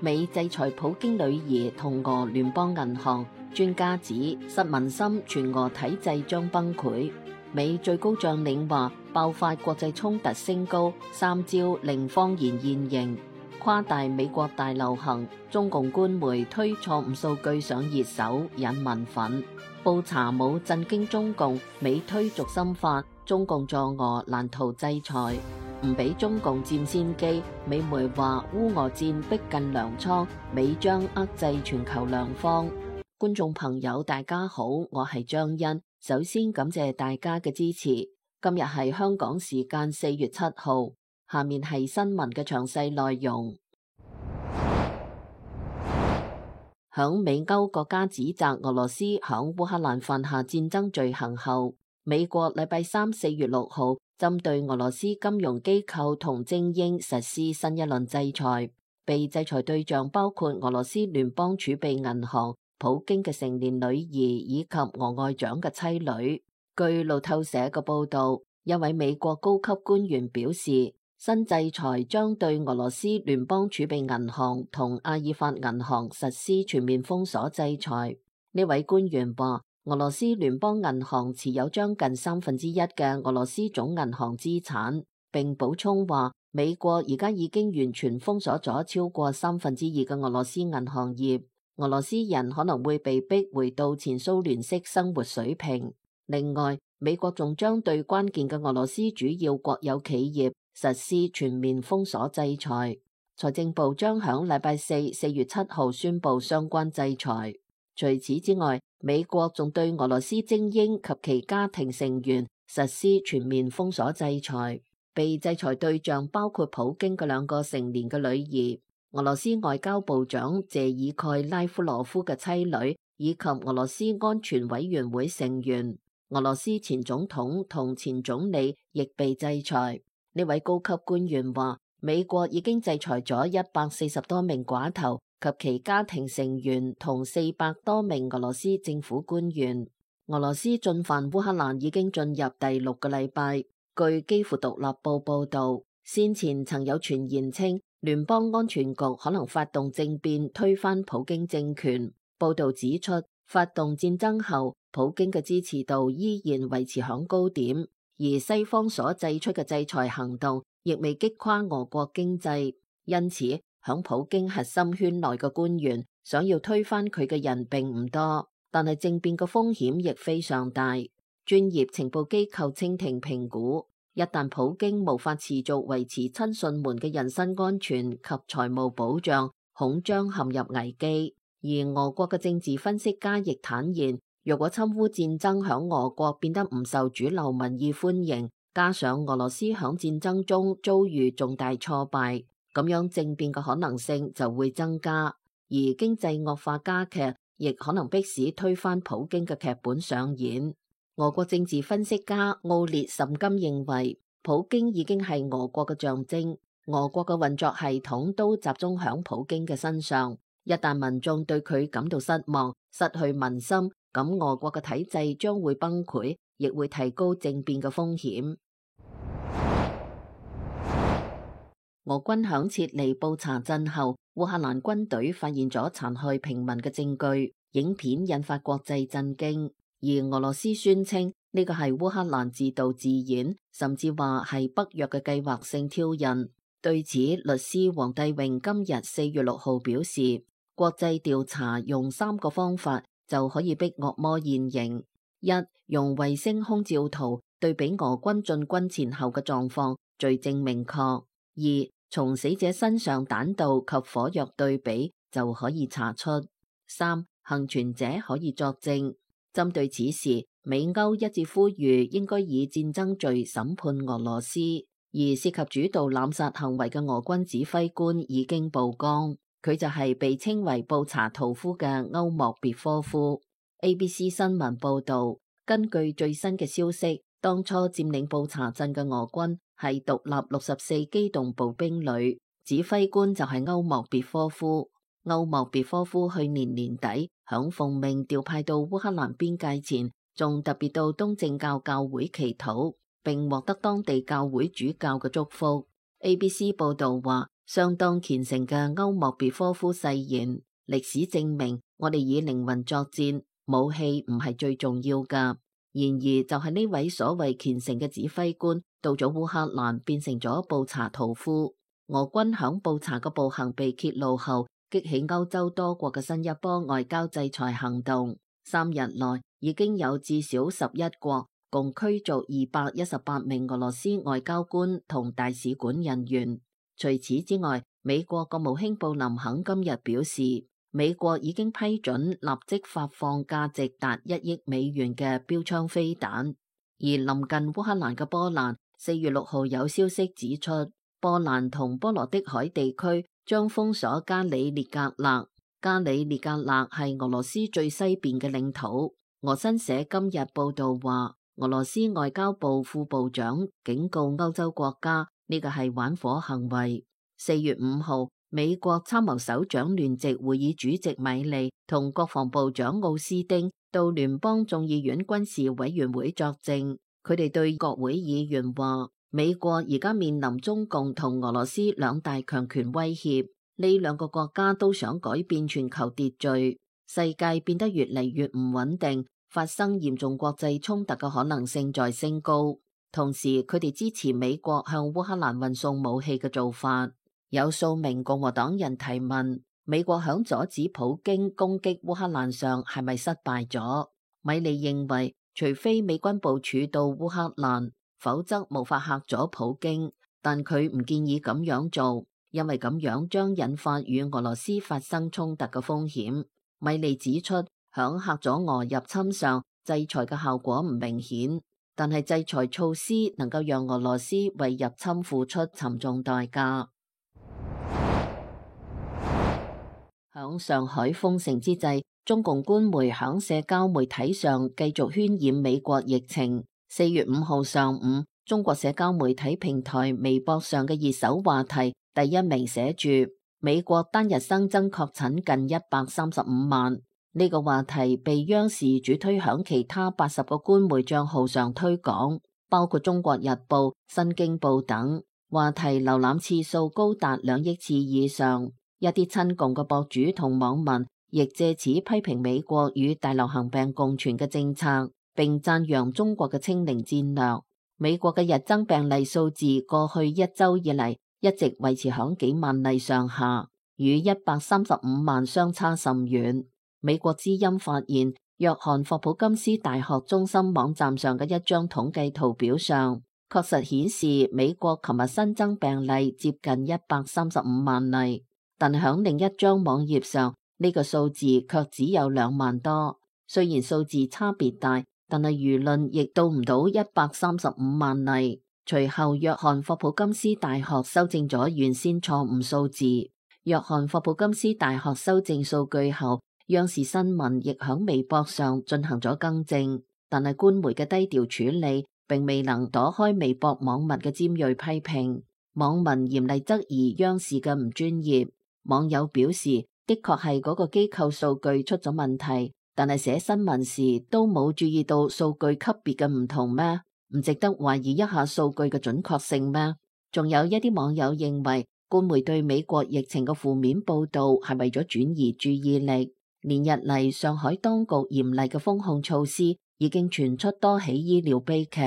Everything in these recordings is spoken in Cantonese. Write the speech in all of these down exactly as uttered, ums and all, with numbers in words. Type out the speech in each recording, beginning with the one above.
美制裁普京女兒同俄聯邦銀行，專家指失民心，全俄體制將崩潰。美最高將領話，爆發國際衝突升高，三招令謊言現形，誇大美國大流行。中共官媒推錯誤數據上熱搜，引民憤。布查姆震驚中共，美推軸心法，中共助俄難逃制裁。唔俾中共佔先機，美媒話烏俄戰逼近糧倉，美將遏制全球糧荒。觀眾朋友大家好，我係張欣，首先感謝大家嘅支持。今日係香港時間四月七號，下面係新聞嘅詳細內容。響美歐國家指責俄羅斯響烏克蘭犯下戰爭罪行後，美國禮拜三四月六號針對俄羅斯金融機構同精英實施新一輪制裁，被制裁對象包括俄羅斯聯邦儲備銀行、普京嘅成年女兒以及俄外長嘅妻女。據路透社嘅報道，一位美國高級官員表示，新制裁將對俄羅斯聯邦儲備銀行同阿爾法銀行實施全面封鎖制裁。呢位官員話，俄羅斯聯邦銀行持有將近三分之一嘅俄羅斯總銀行資產，並補充話，美國而家已經完全封鎖咗超過三分之二嘅俄羅斯銀行業，俄羅斯人可能會被逼回到前蘇聯式生活水平。另外，美國仲將對關鍵嘅俄羅斯主要國有企業實施全面封鎖制裁。財政部將響禮拜四四月七號宣布相關制裁。除此之外，美國仲對俄羅斯精英及其家庭成員實施全面封鎖制裁。被制裁對象包括普京嘅兩個成年嘅女兒、俄羅斯外交部長謝爾蓋拉夫羅夫嘅妻女，以及俄羅斯安全委員會成員。俄羅斯前總統同前總理亦被制裁。呢位高級官員話，美國已經制裁咗一百四十多名寡頭及其家庭成員同四百多名俄羅斯政府官員。俄羅斯進犯烏克蘭已經進入第六個禮拜。據基輔獨立報報道，先前曾有傳言稱聯邦安全局可能發動政變推翻普京政權。報道指出，發動戰爭後，普京嘅支持度依然維持響高點，而西方所祭出嘅制裁行動亦未擊垮俄國經濟。因此，響普京核心圈內嘅官員想要推翻佢嘅人並唔多，但係政變嘅風險亦非常大。專業情報機構清廷評估，一旦普京無法持續維持親信們嘅人身安全及財務保障，恐將陷入危機。而俄國嘅政治分析家亦坦言，若果侵烏戰爭響俄國變得唔受主流民意歡迎，加上俄羅斯響戰爭中遭遇重大挫敗，咁樣政變嘅可能性就會增加，而經濟惡化加劇，亦可能迫使推翻普京嘅劇本上演。俄國政治分析家奧列什金認為，普京已經係俄國嘅象徵，俄國嘅運作系統都集中響普京嘅身上。一旦民眾對佢感到失望、失去民心，咁俄國嘅體制將會崩潰，亦會提高政變嘅風險。俄軍響撤離布查鎮後，烏克蘭軍隊發現咗殘害平民嘅證據，影片引發國際震驚。而俄羅斯宣稱呢個係烏克蘭自導自演，甚至話係北約嘅計劃性挑釁。對此，律師黃帝榮今日四月六號表示，國際調查用三個方法就可以逼惡魔現形：一、用衛星空照圖對比俄軍進軍前後嘅狀況，罪證明確；二、從死者身上彈道及火藥對比就可以查出；三、幸存者可以作證。針對此事，美歐一致呼籲應該以戰爭罪審判俄羅斯，而涉及主導濫殺行為嘅俄軍指揮官已經曝光，佢就係被稱為布查圖夫嘅歐莫別科夫。A B C 新聞報道，根據最新嘅消息，當初佔領布查鎮嘅俄軍係獨立六十四機動步兵旅，指揮官就係歐莫別科夫。歐莫別科夫去年年底響奉命調派到烏克蘭邊界前，仲特別到東正教教會祈禱，並獲得當地教會主教嘅祝福。A B C 報道話，相當虔誠嘅歐莫別科夫誓言：歷史證明，我哋以靈魂作戰，武器唔係最重要㗎。然而，就係呢位所謂虔誠嘅指揮官，到咗烏克蘭變成咗布查屠夫。俄軍響布查嘅暴行被揭露後，激起歐洲多國嘅新一波外交制裁行動。三日內已經有至少十一國共驅逐二百一十八名俄羅斯外交官同大使館人員。除此之外，美國國務卿布林肯今日表示，美國已經批准立即發放價值達一億美元嘅標槍飛彈。而臨近烏克蘭嘅波蘭，四月六號有消息指出，波蘭同波羅的海地區將封鎖加里列格勒。加里列格勒係俄羅斯最西邊嘅領土。俄新社今日報道話，俄羅斯外交部副部長警告歐洲國家，呢個係玩火行為。四月五號，美國參謀首長聯席會議主席米利同國防部長奧斯丁到聯邦眾議院軍事委員會作證。佢哋對國會議員話，美國而家面臨中共同俄羅斯兩大強權威脅，呢兩個國家都想改變全球秩序，世界變得越嚟越唔穩定，發生嚴重國際衝突嘅可能性在升高。同時，佢哋支持美國向烏克蘭運送武器嘅做法。有數名共和黨人提問，美國響阻止普京攻擊烏克蘭上係咪失敗咗？米利認為，除非美軍部署到烏克蘭，否則無法嚇阻普京。但佢唔建議咁樣做，因為咁樣將引發與俄羅斯發生衝突嘅風險。米利指出，響嚇阻俄入侵上，制裁嘅效果唔明顯，但係制裁措施能夠讓俄羅斯為入侵付出沉重代價。響上海封城之際，中共官媒響社交媒體上繼續渲染美國疫情。四月五號上午，中國社交媒體平台微博上嘅熱搜話題第一名寫住美國單日新增確診近一百三十五萬。呢個話題被央視主推響其他八十個官媒賬號上推廣，包括中國日報、新京報等。話題瀏覽次數高達兩億次以上。一啲親共嘅博主同網民亦借此批評美國與大流行病共存嘅政策，並讚揚中國嘅清零戰略。美國嘅日增病例數字過去一周以嚟一直維持響幾萬例上下，與一百三十五萬相差甚遠。美國之音發現，約翰霍普金斯大學中心網站上嘅一張統計圖表上，確實顯示美國琴日新增病例接近一百三十五萬例。但響另一張網頁上，呢個數字卻只有兩萬多。雖然數字差別大，但係輿論亦到唔到一百三十五萬例。隨後，約翰霍普金斯大學修正咗原先錯誤數字。約翰霍普金斯大學修正數據後，央視新聞亦響微博上進行咗更正。但係官媒嘅低調處理，並未能躲開微博網民嘅尖銳批評。網民嚴厲質疑央視嘅唔專業。網友表示，的確係嗰個機構數據出咗問題，但係寫新聞時都冇注意到數據級別嘅唔同咩？唔值得懷疑一下數據嘅準確性咩？仲有一啲網友認為，官媒對美國疫情嘅負面報道係為咗轉移注意力。連日嚟，上海當局嚴厲嘅封控措施已經傳出多起醫療悲劇，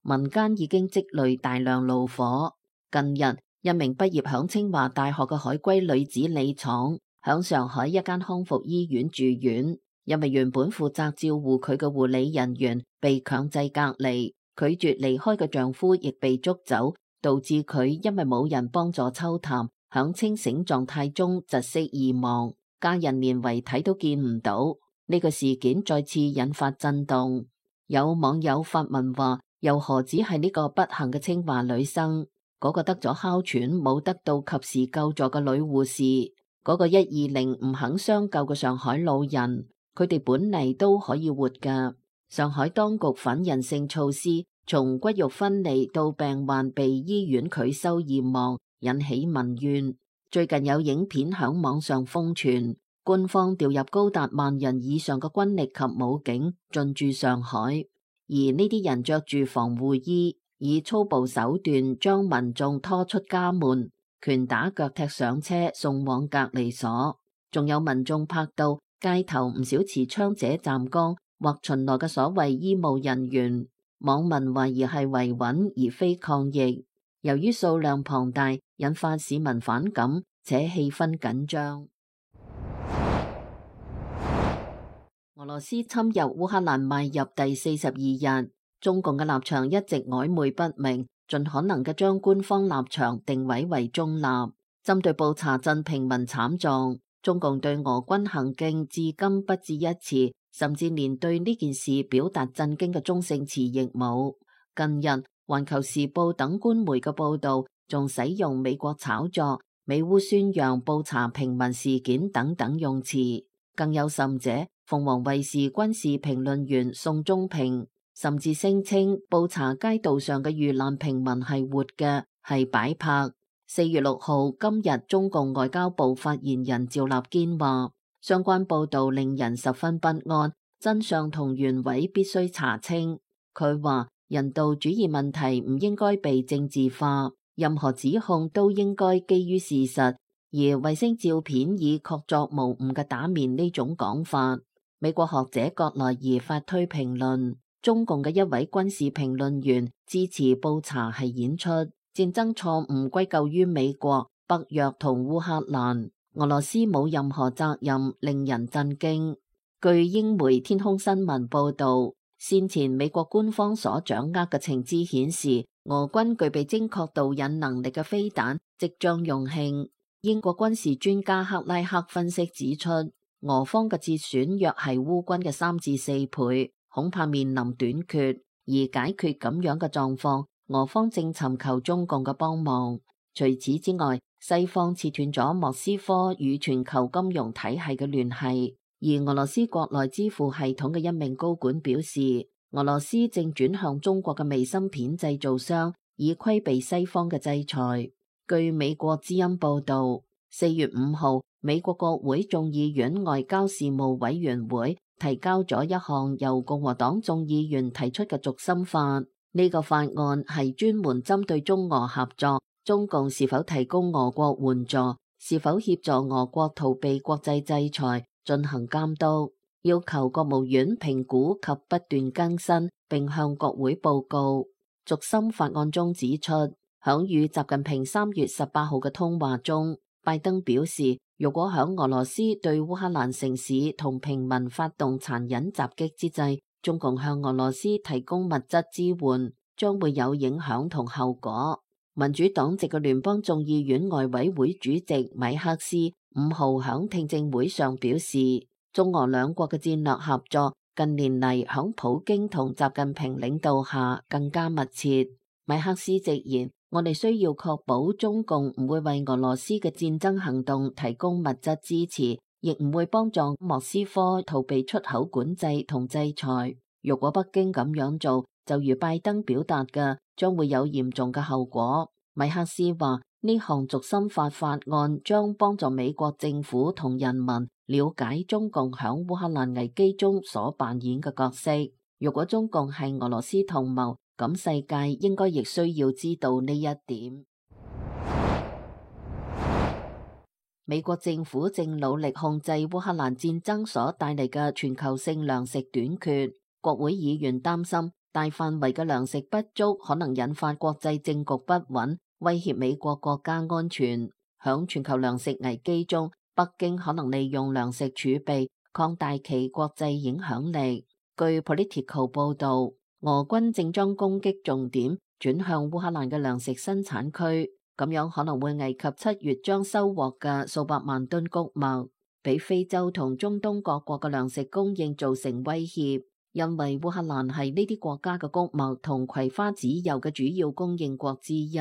民間已經積累大量怒火。近日，一名畢業響清華大學嘅海歸女子李闖，響上海一間康復醫院住院，因為原本負責照顧佢嘅護理人員被強制隔離，拒絕離開嘅丈夫亦被捉走，導致佢因為冇人幫助抽痰，響清醒狀態中窒息而亡，家人連遺體都見唔到。呢個事件再次引發震動，有網友發文話，又何止係呢個不幸嘅清華女生？嗰個得咗哮喘冇得到及時救助嘅女護士，嗰個一二零唔肯相救嘅上海老人，佢哋本嚟都可以活㗎。上海當局反人性措施，從骨肉分離到病患被醫院拒收驗望，引起民怨。最近有影片響網上瘋傳，官方調入高達萬人以上嘅軍力及武警進駐上海，而呢啲人着住防護衣，以粗暴手段將民眾拖出家門，拳打腳踢上車送往隔離所。仲有民眾拍到街頭唔少持槍者站崗或巡邏嘅所謂醫務人員，網民懷疑係維穩而非抗疫。由於數量龐大，引發市民反感，且氣氛緊張。俄羅斯侵入烏克蘭邁入第四十二日，中共嘅立場一直曖昧不明，盡可能嘅將官方立場定位為中立。針對布查鎮平民慘狀，中共對俄軍行徑至今不置一詞，甚至連對呢件事表達震驚嘅中性詞亦冇。近日，環球時報等官媒嘅報道仲使用美國炒作、美烏宣揚布查平民事件等等用詞，更有甚者，鳳凰衛視軍事評論員宋忠平甚至聲稱布查街道上嘅遇難平民係活嘅，係擺拍。四月六號，今日中共外交部發言人趙立堅話，相關報道令人十分不安，真相同原委必須查清。佢話，人道主義問題唔應該被政治化，任何指控都應該基於事實，而衛星照片以確鑿無誤嘅打面呢種講法。美國學者葛萊儀發推評論，中共嘅一位軍事評論員支持布查係演出，戰爭錯誤歸咎於美國、北約同烏克蘭，俄羅斯冇任何責任，令人震驚。據英媒天空新聞報道，先前美國官方所掌握嘅情資顯示，俄軍具備精確導引能力嘅飛彈即將用罄。英國軍事專家克拉克分析指出，俄方嘅折損約係烏軍嘅三至四倍，恐怕面臨短缺。而解決咁樣嘅狀況，俄方正尋求中共嘅幫忙。除此之外，西方切斷咗莫斯科與全球金融體系嘅聯繫。而俄羅斯國內支付系統嘅一名高管表示，俄羅斯正轉向中國嘅微芯片製造商，以規避西方嘅制裁。據美國之音報道，四月五號，美國國會眾議院外交事務委員會提交咗一項由共和黨眾議員提出嘅軸心法。呢個法案係專門針對中俄合作，中共是否提供俄國援助，是否協助俄國逃避國際制裁進行監督，要求國務院評估及不斷更新，並向國會報告。軸心法案中指出，響與習近平三月十八號嘅通話中，拜登表示，如果響俄羅斯對烏克蘭城市同平民發動殘忍襲擊之際，中共向俄羅斯提供物質支援，將會有影響同後果。民主黨籍嘅聯邦眾議院外委會主席米克斯五號響聽證會上表示，中俄兩國嘅戰略合作近年嚟響普京同習近平領導下更加密切。米克斯直言，我哋需要確保中共唔會為俄羅斯嘅戰爭行動提供物質支持，亦唔會幫助莫斯科逃避出口管制同制裁。如果北京咁樣做，就如拜登表達嘅，將會有嚴重嘅後果。米克斯話，呢項軸心法法案將幫助美國政府同人民了解中共響烏克蘭危機中所扮演嘅角色。如果中共係俄羅斯同謀，咁世界應該亦需要知道呢一點。美國政府正努力控制烏克蘭戰爭所帶嚟嘅全球性糧食短缺。國會議員擔心大範圍嘅糧食不足可能引發國際政局不穩，威脅美國國家安全。響全球糧食危機中，北京可能利用糧食儲備擴大其國際影響力。據 Politico 報道，俄軍正將攻擊重點轉向烏克蘭嘅糧食生產區，咁樣可能會危及七月將收穫嘅數百萬噸穀物，俾非洲同中東各國嘅糧食供應造成威脅。因為烏克蘭係呢啲國家嘅穀物同葵花籽油嘅主要供應國之一。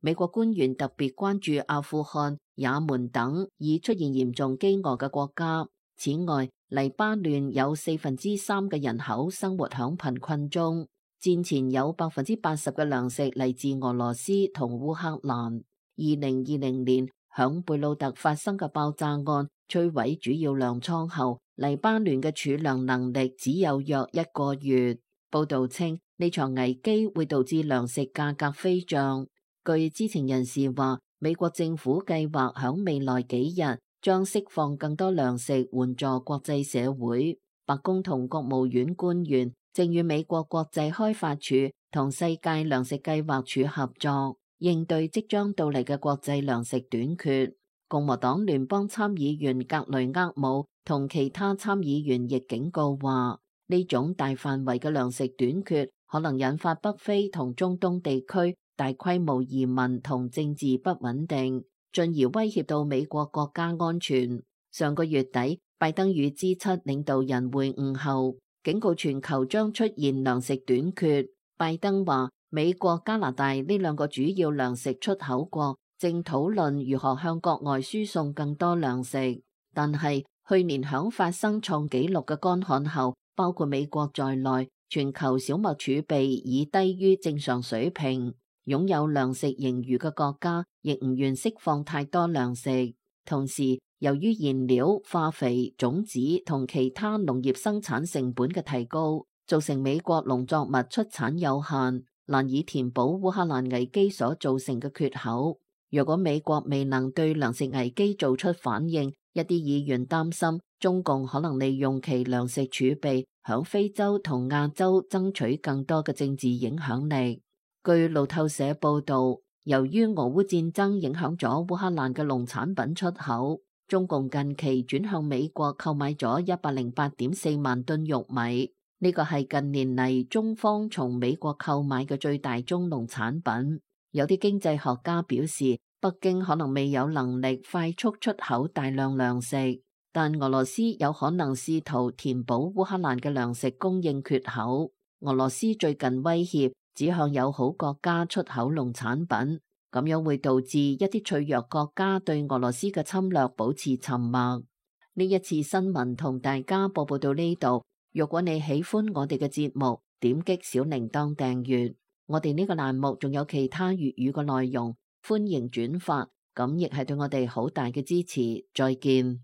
美國官員特別關注阿富汗、也門等已出現嚴重飢餓嘅國家。此外，黎巴嫩有四分之三嘅人口生活響貧困中。戰前有百分之八十嘅糧食嚟自俄羅斯同烏克蘭。二零二零年響貝魯特發生嘅爆炸案摧毀主要糧倉後，黎巴嫩嘅儲糧能力只有約一個月。報道稱，呢場危機會導致糧食價格飛漲。據知情人士話，美國政府計劃響未來幾日將釋放更多糧食援助國際社會。白宮同國務院官員正與美國國際開發署同世界糧食計劃署合作，應對即將到嚟嘅國際糧食短缺。共和黨聯邦參議員格雷厄姆同其他參議員亦警告話，呢種大範圍嘅糧食短缺可能引發北非同中東地區大規模移民同政治不穩定，進而威脅到美國國家安全。上個月底，拜登與 G 七領導人會晤後，警告全球將出現糧食短缺。拜登話，美國、加拿大呢兩個主要糧食出口國正討論如何向國外輸送更多糧食，但係去年響發生創紀錄嘅乾旱後，包括美國在內，全球小麥儲備已低於正常水平。擁有糧食盈餘嘅國家亦唔願釋放太多糧食。同時，由於燃料、化肥、種子同其他農業生產成本嘅提高，造成美國農作物出產有限，難以填補烏克蘭危機所造成嘅缺口。若果美國未能對糧食危機做出反應，一啲議員擔心中共可能利用其糧食儲備響非洲同亞洲爭取更多嘅政治影響力。據路透社報道，由於俄烏戰爭影響咗烏克蘭嘅農產品出口，中共近期轉向美國購買咗一百零八點四萬噸玉米，呢個係近年嚟中方從美國購買嘅最大宗農產品。有啲經濟學家表示，北京可能未有能力快速出口大量糧食，但俄羅斯有可能試圖填補烏克蘭嘅糧食供應缺口。俄羅斯最近威脅只向友好國家出口農產品，咁樣會導致一啲脆弱國家對俄羅斯嘅侵略保持沉默。呢一次新聞同大家播報到呢度。如果你喜歡我哋嘅節目，點擊小鈴鐺訂閱。我哋呢個欄目仲有其他粵語嘅內容，歡迎轉發，咁亦係對我哋好大嘅支持。再見。